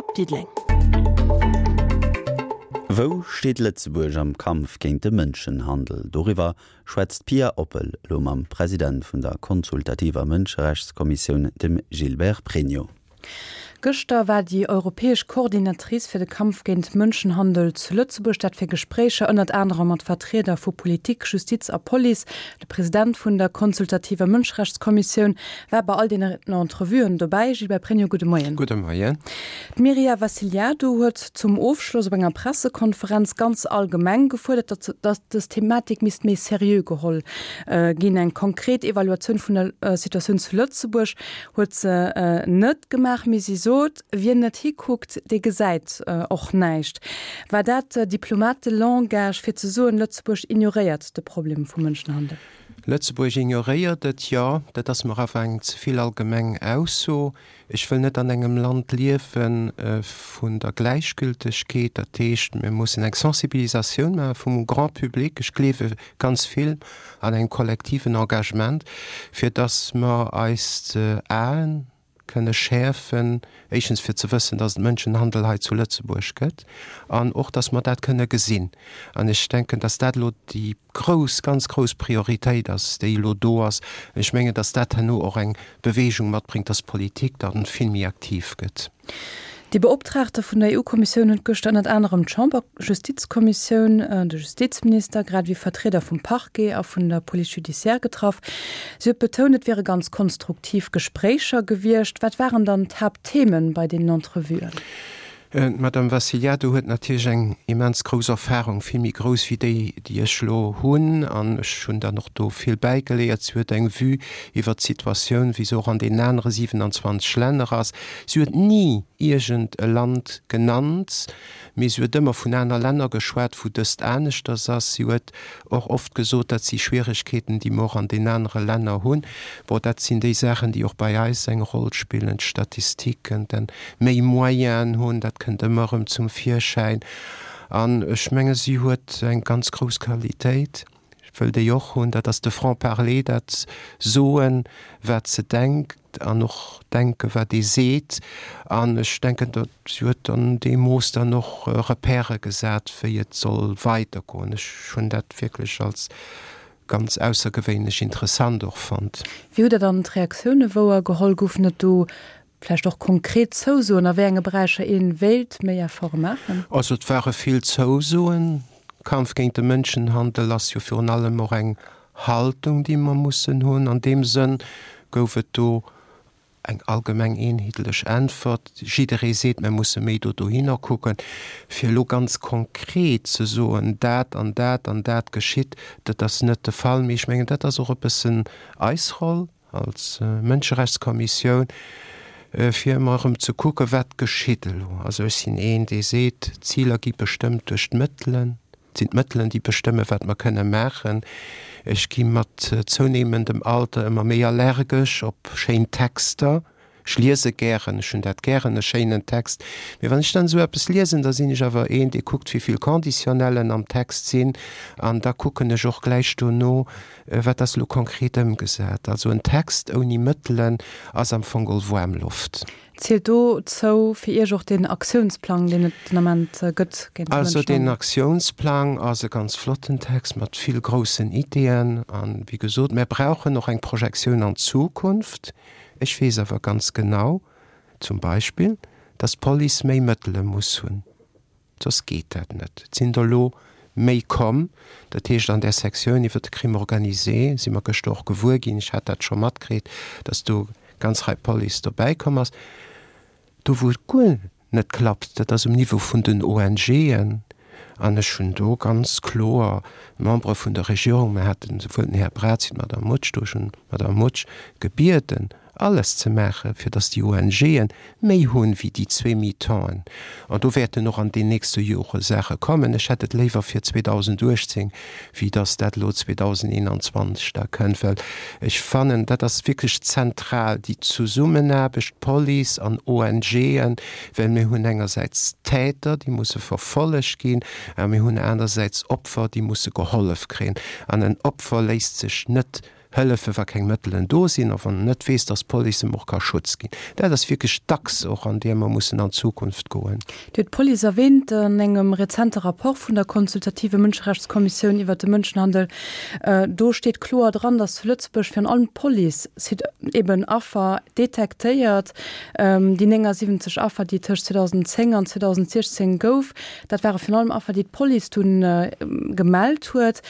op Diddeleng. Wou steet Lëtzebuerg am Kampf géint de Mënschenhandel? Doriwwer schwätzt d'Pia Oppel elo mam President vun der consultativer Mënscherechtskommissioun, dem Gilbert Pregno. Gëschter war déi europäesch Coordinatrice fir de Kampf géint Mënschenhandel zu Lëtzebuerg. Dat fir Gespréicher ënnert anerem mat Vertrieder vu Politik, Justiz a Police. De President vun der consultativer Mënscherechtskommissioun war bei all deenen Entrevuen dobäi. Gilbert Pregno, gudde Moien. Gudde Moien. D'Mirja Vassiliadou huet zum Ofschloss op enger Pressekonferenz ganz allgemeng gefuerdert, datt dës Thematik misst méi seriö geholl ginn. Eng konkret Evaluatioun vun der Situatioun zu Lëtzebuerg huet se net gemaach, mee si sot, Wien net hikuckt, dee gesäit och näischt. War dat Diplomatelangage fir ze soen, Lëtzebuerg ignoréiert de Problem vum Mënschenhandel? Lëtzebuerg ignoréiert et, jo. Dat ass mer awer eng ze vill allgemeng Ausso. Ech wëll net an engem Land liewe vun der Gläichgültegkeet. Dat heescht, mir mussen eng Sensibilisatioun maache vum Grand public. Ech gleewe ganz vill an engem kollektiven Engagement, fir dass mer eis d'Aen kënne schäerfen, éischtens fir ze wëssen, dass et Mënschenhandel hei zu Lëtzebuerg gëtt, an och, dass mer dat kënne gesinn. An ech denken, dass dat elo déi grouss, ganz grouss Prioritéit ass, déi elo do ass. An ech mengen, dass dat herno och eng Bewegung matbréngt, dass d'Politik da vill méi aktiv gëtt. Déi Beoptraagte vun der EU-Kommissioun huet gëschter ënnert anerem d'Chamberjustizkommissioun, de Justizminister, grad ewéi Vertrieder vum Parquet a vun der Police judiciaire getraff. Si huet betount, et wiere ganz konstruktiv Gespréicher gewiescht. Wat waren dann d'Haapttheme bei deenen Entrevuen? D'Madame Vassiliadou huet natierlech eng immens grouss Erfahrung, vill méi grouss wéi déi, déi ech elo hunn, an ech hunn dann och do vill bäigeléiert. Si huet eng Vue iwwert d'Situatioun, wéi se och an deenen anere 27 Länner ass. Si huet ni iergend e Land genannt, mee si huet ëmmer vun aner Länner geschwat, wou dëst aneschters ass. Si huet och oft gesot, dat si Schwieregkeeten, déi mer och an den anere Länner hunn. Bon, dat sinn déi Saachen, déi och bei eis eng Roll spillen, d'Statistiken, den méi Moyenen hunn, dat kënnt ëmmer erëm zum Virschäin. An ech menge si huet eng ganz grouss Qualitéit, ech wëll déi och hunn, dat ass de Franc-parler, dat Soen, wat se denkt. An och denken, wat ee seet. An ech denken, datt si huet an deem Mooss dann och Repèrë gesat, wéi et soll weidergoen. Ech hunn dat wierklech als ganz aussergewéinlech interessant och fonnt. Wéi hutt Der dann d'Reaktioune wouer geholl? Goufen et do vläicht och konkret Zousoen, a wéi enge Beräicher ee wéilt méi Efforte maachen? Also et ware vill Zousoen. Kampf géint de Mënschenhandel ass jo virun allem och eng Haltung, déi mer mussen hunn. An deem Sënn gouf et do eng allgemeng eenheetlech Äntwert. Jidderee seet, mer musse méi do dohinner kucken. Fir elo ganz konkret ze soen, dat an dat an dat geschitt, dat ass net de Fall. Mee ech mengen, dat ass och e bëssen eis Roll als Mënscherechtskommissioun, fir ëmmer erëm ze kucken, wat geschitt elo. Also ech sinn een, dee seet, d'Ziler gi bestëmmt duerch d'Mëttelen. Et sinn d'Mëttelen, déi bestëmmen, wat mer kënne maachen. Ech gi mat zounehmendem Alter ëmmer méi allergesch op schéin Texter. Ech liese gären, ech hunn dat gären, e schéinen Text. Mee wann ech dann esou eppes liesen, da sinn ech awer een, dee kuckt, wéi vill Conditionnellen am Text sinn. An da kucken ech och gläich dono, wat ass elo konkret ëmgesat. Also en Text ouni Mëttelen ass am Fong geholl waarm Loft. Zielt dozou fir Iech och deen Aktiounsplang, deen et den Ament gëtt géint de Also deen Aktiounsplang ass e ganz flotten Text mat vill groussen Ideeën. An, wéi gesot, mär brauchen och eng Projektioun an d'Zukunft. Ech weess awer ganz genau, zum Beispill, dass d'Police méi Mëttele muss hunn. Soss geet dat net. Et sinn der elo méi komm. Dat heescht, an där Sektioun iwwert de Crime organisé si mer gëschter och gewuer ginn, ech hat dat scho matkritt, datt do ganz Rei Police dobäi komm ass. Do wou et guer net klappt, dat ass um Niveau vun den ONGen. An ech hunn do ganz kloer d'Membere vun der Regierung, mer haten esouwuel den Här Braz wéi d'Madame Mutsch do, ech hunn d'Madame Mutsch gebieden, alles ze maachen, fir dass déi ONGe méi hunn wéi déi zwee Mi-temps'en. An do wäerten och an den nächste Jore Saache kommen. Ech hätt et léiwer fir 2018, wéi dass dat elo 2021 da kënnt, well ech fannen, dat ass wierklech zentral, déi Zesummenaarbecht Police an ONGen, well mir hunn engersäits Täter, déi musse verfollegt ginn, a mir hunn anersäits Opfer, déi musse gehollef kréien. An en Opfer léisst sech net. Hëllefen, wa keng Mëttelen do sinn a wann en net weess, dass d'Police em och ka Schutz ginn. Dat ass wierklech d'Achse och, an där mer mussen an d'Zukunft goen. Dir hutt d'Police erwähnt. An engem rezente Rapport vun der consultative Mënscherechtskommissioun iwwert de Mënschenhandel, do steet kloer dran, dass zu Lëtzebuerg virun allem d'Police eben Affer detektéiert. Déi 79 Affer, déi tëscht 2010 an 2016 gouf, dat ware virun allem Affer, déi d'Police dunn gemellt huet.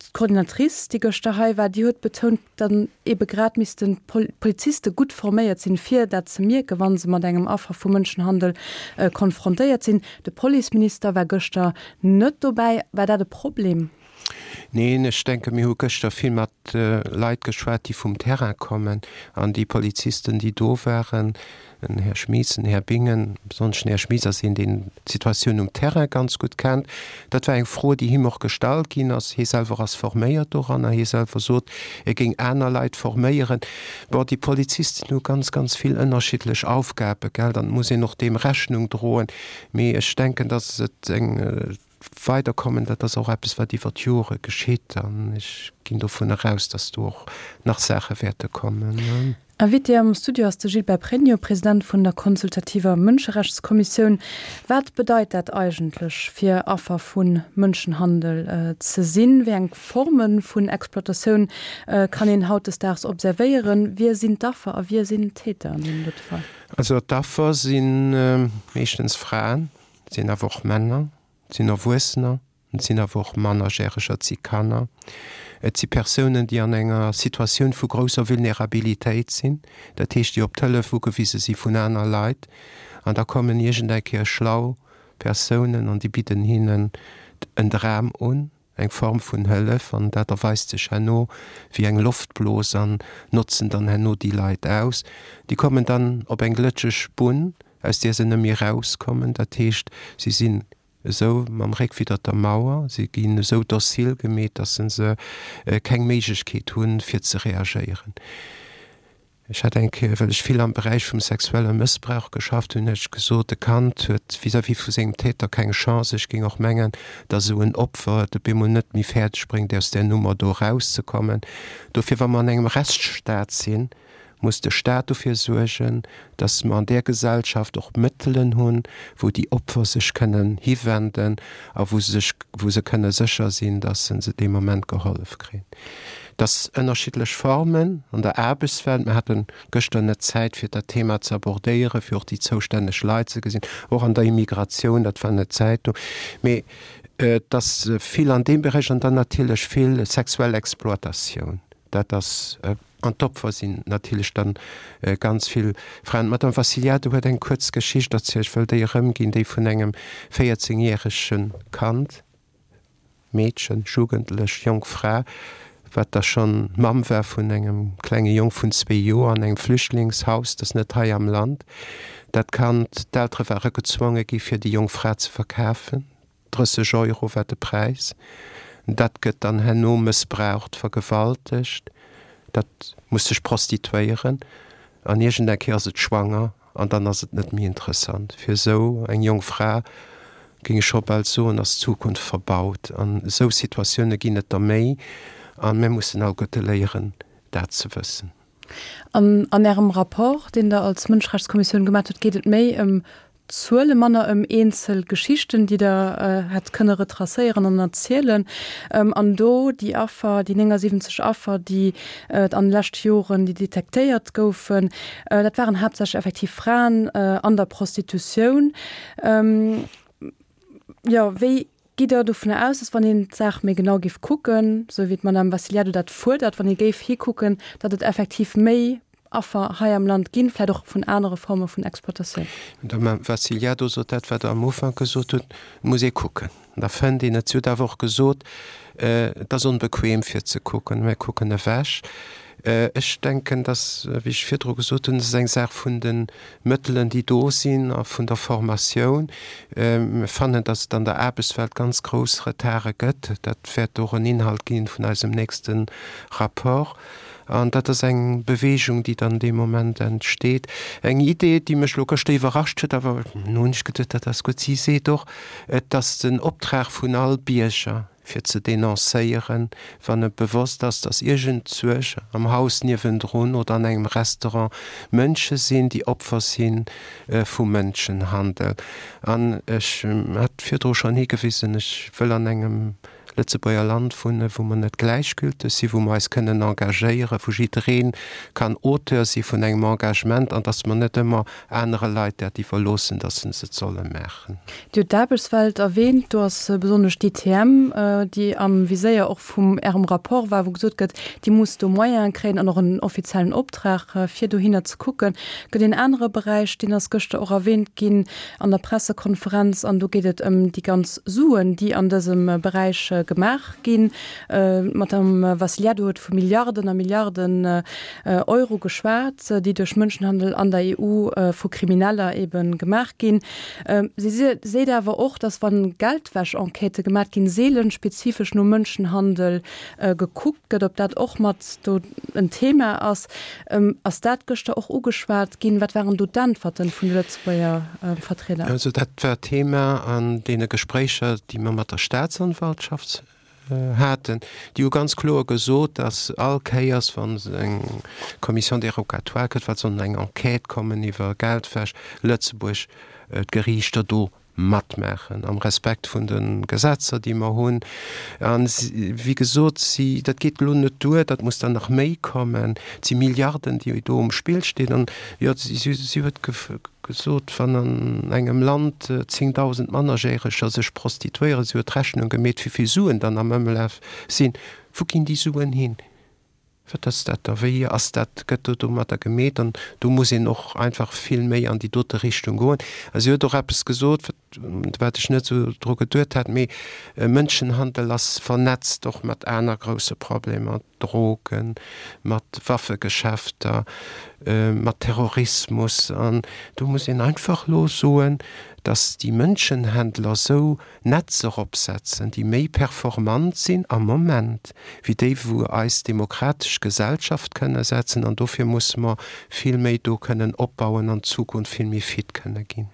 D'Coordinatrice, déi gëschter hei war, déi huet betount, datt eebe grad missten d'Poliziste gutt forméiert sinn, fir dat ze mierken, wa se mat engem Affer vu Mënschenhandel konfrontéiert sinn. De Policeminister war gëschter net dobäi. War dat e Problem? Neen, ech denken, mir hu gëschter vill mat Leit geschwat, déi vum Terrain kommen. An déi Polizisten, déi do waren, den Här Schmitz, den Här Bingen, besonnesch den Här Schmitz ass een, deen d'Situatioun um Terrain ganz gutt kennt. Dat war eng Fro, déi him och gestallt ginn ass. Hie selwer ass forméiert doranner. Hie selwer sot, e géing aner Leit forméieren. Bon, déi Polizisten hu ganz, ganz vill ënnerschiddlech Aufgaben, gell, an et muss een och deem Rechnung droen. Mee ech denken, datt et eng Weiderkommen, dat ass och eppes, wat iwwer d'Jore geschitt an ech ginn dovun eraus, dass do och nach Saache wäerte kommen. Invité am Studio ass de Gilbert Pregno, President vun der consultativer Mënscherechtskommissioun. Wat bedeit dat eigentlech, fir Affer vu Mënschenhandel ze sinn? Wéi eng Forme vun Exploitatioun kann een hautdesdaags observéieren? Wie sinn d'Affer a wie sinn d'Täter an deem dote Fall? Also d'Affer si meeschtens Fraen, Et sinn awer och Männer, et sinn Erwuessener, et sinn awer och Mannerjäreger, et si Kanner. Et si Persounen, déi an enger Situatioun vu grousser Vulnerabilitéit sinn, dat heescht, déi op d'Hëllef ugewise si vun aner Leit. An da kommen iergend eng Kéier schlau Persounen an déi bidden hinnen en Dram un, eng Form vun Hëllef, an dat erweist sech herno wéi eng Loftblos an notzen dann herno déi Leit aus. Déi kommen dann op eng glëtscheg Bunn, aus där se net méi erauskommen. Dat heescht, si sinn esou mam Réck widder der Mauer, si ginn esou docile gemeet, datt se keng Méiglechkeet hunn, fir ze reagéieren. Ech hat eng Kéier, well ech vill am Beräich vum sexuelle Mëssbrauch geschafft hunn, huet ech gesot, e Kand huet vis-à-vis vu sengem Täter keng Chance. Ech géing och mengen, datt esou en Opfer et op eemol net méi fäerdeg bréngt, aus där Nummer do erauszekommen. Dofir, wa mer an engem Rechtsstaat sinn, muss de Staat dofir suergen, datt mer an där Gesellschaft och Mëttelen hunn, wou déi Opfer sech kënnen hiwenden a wou se sech, wou se kënne sécher sinn, datt se se dee Moment gehollef kréien. Dass ënnerschiddlech Formen an der Aarbechtswelt, mir hate gëschter net Zäit fir dat Thema ze abordéieren, fir och déi zoustänneg Leit ze gesinn, och an der Immigratioun, dat war net Zäit do, mee dass vill an deem Beräich an dann natierlech vill sexuell Exploitatioun, dat ass, an d'Opfer sinn natierlech dann ganz vill Fraen. D'Madame Vassiliadou huet eng kuerz Geschicht erzielt, ech wëll déi erëmginn, déi vun engem 14 järege Kand, Meedchen, Jugendlech, jonk Fra, wat da schonn Mamm war vun engem klenge Jong vun zwee Joer an engem Flüchtlingshaus, dat ass net hei am Land. Dat Kand, d'Eltere ware gezwonge gi fir déi jonk Fra ze verkafen, 30 Euro war de Präis. Dat gëtt dann herno mëssbraucht, vergewaltegt, dat muss sech prostituéieren an iergend eng Kéier ass et schwanger An dann ass et net méi interessant. Fir esou eng jonk Fra, géing ech scho bal soen, ass d'Zukunft verbaut. An esou Situatioune ginn et der méi a mir mussen alleguerte léieren, dat ze wëssen. An an Ärem Rapport, deen Der als Mënscherechtskommissioun gemat hutt, geet et méi ëm Zuele, manner ëm eenzel Geschichten, déi Der hätt kënne retracéieren an erzielen. An do déi Affer, déi 79 Affer, déi et an de leschte Joren, déi detektéiert goufen, Dat waren haaptsächlech effektiv Fraen an der Prostitutioun. Jo, wéi gitt Der dovunner aus, dass wann een d'Saach méi genau géif kucken, esou wéi d'Madame Vassiliadou dat fuerdert, wann ee géif hikucken, datt et effektiv méi Affer hei am Land ginn, vläicht och vun anere Forme vun Exploitatioun? D'Madame Vassiliadou sot dat, wat Der am Ufank gesot hutt, Et muss ee kucken. Da fënnt een et. Si huet awer och gesot, et ass onbequem fir ze kucken, mir kucken ewech. Ech denken, dass, wéi ech virdru gesot hunn, et ass eng Saach vun de Mëttelen, déi do sinn a vun der Formatioun. Mir fannen, dass et an der Aarbechtswelt ganz grouss Retarde gëtt. Dat wäert och en Inhalt gi vun eisem nächste Rapport. An dat ass eng Bewegung, déi dann dee Moment entsteet. Eng Idee, déi mech elo gëschter iwwerrascht huet, awer elo hunn ech geduet, dat ass gutt, si seet och, et ass den Optrag vun all Bierger, fir ze denoncéieren, wann e bewosst ass, dass iergendzuerch am Haus niewendrun oder an engem Restaurant Mënsche sinn, déi Opfer si vu Mënschenhandel. An ech hat virdru schonn higewisen, ech wëll an engem Lëtzebuerger Land wunnen, wou mer net gläichgülteg sinn, wou mer eis kënnen engagéieren, wou jidderee kann Auteur si vun engem Engagement an dass mer net ëmmer anere Leit dat iwwerloossen, dass se et solle maachen. Dir hutt d'Aarbechtswelt erwähnt. Do ass besonnesch d'ITM, déi am Viséier och vum Ärem Rapport war, wou gesot gëtt, déi muss do Moyene kréien an och en offiziellen Optrag, fir dohinner ze kucken. Gëtt een anere Beräich, deen ass gëschter och erwähnt ginn an der Pressekonferenz, an do geet et ëm déi ganz Suen, déi an dësem Beräich gemaach ginn. D'Madame Vassiliadou huet vu Milliarden a Milliarden Euro geschwat, déi duerch Mënschenhandel an der EU vu Krimineller ebe gemaach ginn. Si seet awer och, datt wa Geldwäsch-Enquêtë gemat ginn, seelen spezifesch no Mënschenhandel gekuckt gëtt, ob dat och mat do en Thema ass. Ass dat gëschter och ugeschwat ginn? Wat waren do d'Äntwerten vun de Lëtzebuerger Vertrieder? Also dat war Thema an deene Gespréicher, déi mer mat der Staatsanwaltschaft haten. Déi hu ganz kloer gesot, datt all Kéiers, wa se eng Commission dérogatoire kritt, wat soll eng Enquête kommen iwwer Geldwäsch, Lëtzebuerg d'Geriichter do matmaachen, am Respekt vun de Gesetzer, déi mer hunn. A wéi gesot, si, dat geet elo net duer, dat muss dann nach méi kommen. Et si Milliarden, déi do um Spill stinn. An jo, si, si huet gesot, wann an engem Land 10.000 Mannerjäreger sech prostituéieren, si huet d'Rechnung gemeet, wéi vill Suen dann am Ëmlaf sinn, wou ginn déi Suen hin? Wat ass dat da? Wéi ass dat? Gëtt do domatter gemeet? An do muss een och einfach vill méi an déi dote Richtung goen. A si huet och eppes gesot, wat, wat ech net esou dru geduet hat, mee Mënschenhandel ass vernetzt och mat aner grousse Problemer, Drogen, mat Waffegeschäfter, mat Terrorismus. An do muss een einfach elo soen, datt déi Mënschenhändler esou Netzer opsetzen, déi méi performant sinn am Moment wéi déi wou eis demokratesch Gesellschaft kënne setzen an dofir musse mer vill méi do kënnen opbauen an Zukunft vill méi fit kënne ginn.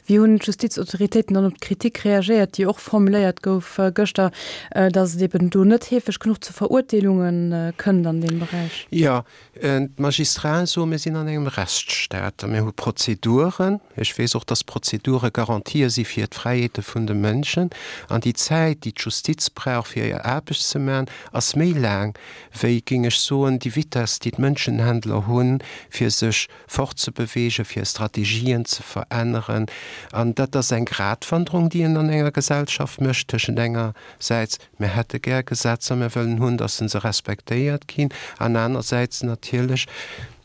Wéi hunn d'Justizautoritéiten dann op d'Kritik reagéiert, déi och formuléiert gouf gëschter, datt et eben do net heefeg genuch zu Verurteelunge kënnt an deem Beräich? Jo, D'Magistraten soen, mir sinn an engem Rechtsstaat a mir hu Prozeduren. Ech weess och, dass Prozedure Garantië si fir d'Fräiheete vun de Mënschen. An déi Zäit, déi d'Justiz brauch, fir hir Aarbecht ze maachen, ass méi laang wéi, géing ech soen, déi Vitess, déi d'Mënschenhändler hunn, fir sech fortzebewegen, fir Strategien ze veränneren. An dat ass eng Gratwanderung, déi een an enger Gesellschaft mécht tëschent engersäits Mir hätte gär Gesetzer, mir wëllen hunn, dass se respektéiert ginn, an anersäits natierlech,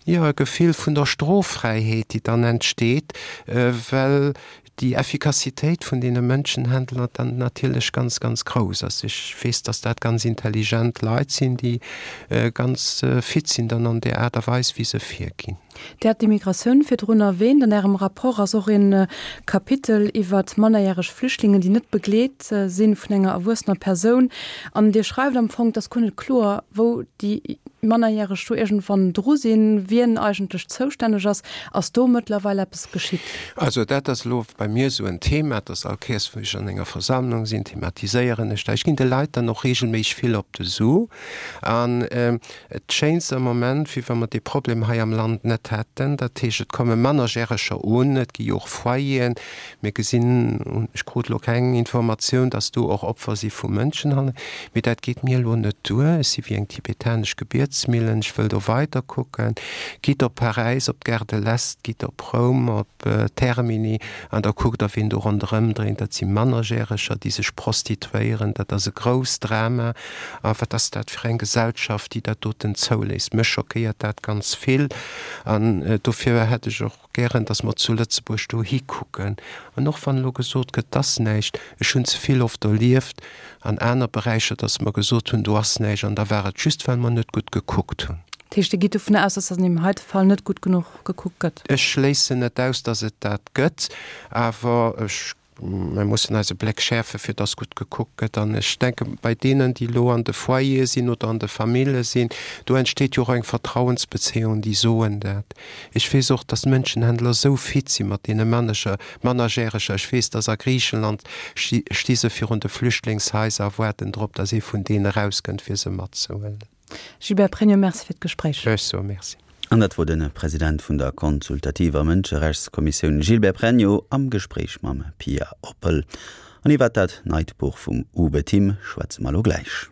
jo, e Gefill vun der Stroffräiheet, déi dann entsteet, well déi Effikassitéit vun deene Mënschenhändler dann natierlech ganz, ganz grouss ass. Ech weess, dass dat ganz intelligent Leit sinn, déi ganz fit sinn dann an där Aart a Weis, wéi se virginn. Dir hat d'Immigratioun virdrun erwähnt. An Ärem Rapport ass och e Kapitel iwwer mannerjäreg Flüchtlingen, déi net begleet si vun enger erwuessener Persoun. An Dir schreift am Fong, et ass guer net kloer, wou déi Mannerjäreg do iergendwann dru sinn, wien eigentlech zoustänneg ass. Ass do mëttlerweil eppes geschitt? Also dat ass elo bei mir esou en Thema, dass all Kéiers, wou ech an enger Versammlung sinn, thematiséieren ech dat. Ech ginn de Leit dann och regelméisseg vill op de Su. An et schéint am Moment, wéi wa mer dee Problem hei am Land net hätten. Dat heescht, et komme Mannerjäreger un, et gi jo och Foyeren. Mir gesinn, ech krut elo keng Informatioun, datt do och Opfer si vu Mënschenhandel. Mee dat geet mir elo net duer. Ech si wéi eng tibetanesch Gebietsmillen, ech wëll do weider kucken. Gitt op Paräis, op d'Gare de l'Est, gitt op Roum, op Termini an da kuckt Der, wien do ronderëm dréint. Dat si Mannerjäreger, déi sech prostituéieren. Dat ass e grousst Drama. A wat ass dat fir eng Gesellschaft, déi dat doten zouléisst? Mech schockéiert dat ganz vill. An dofir hätt ech och gären, datt mer zu Lëtzebuerg do hikucken. An och wann elo gesot gëtt, 't ass näischt, ech hunn ze vill oft erlieft an aner Beräicher, datt mer gesot hunn, do ass näischt, an da war et just, well mer net gutt gekuckt hunn. Dat heescht, Dir gitt dovun aus, datt an deem heite Fall net gutt genuch gekuckt gëtt? Ech schléissen net aus, datt et dat gëtt, awer ech. Mir mussen eise Bléck schäerfen, fir dass gutt gekuckt gëtt. An ech denke bei deenen, déi elo an de Foyere sinn oder an de Famille sinn, do entsteet jo och eng Vertrauensbezéiung, déi soen dat. Ech weess och, dass d'Mënschenhändler esou fit si mat deene Manager, Mannerjäreger. Ech weess, dass a Griichenland sti se virun de Flüchtlingshaiser a waarden drop, dass ee vun deenen erauskënnt, fir se matzehuelen. Gilbert Pregno, Merci fir d'Gespréich. Ech soe Merci. An dat wor de President vun der consultativer Mënscherechtskommissioun Gilbert Pregno am Gespréich mam Pia Oppel. An iwwert dat neit Buch vum Uwe Timm schwätze mer elo gläich.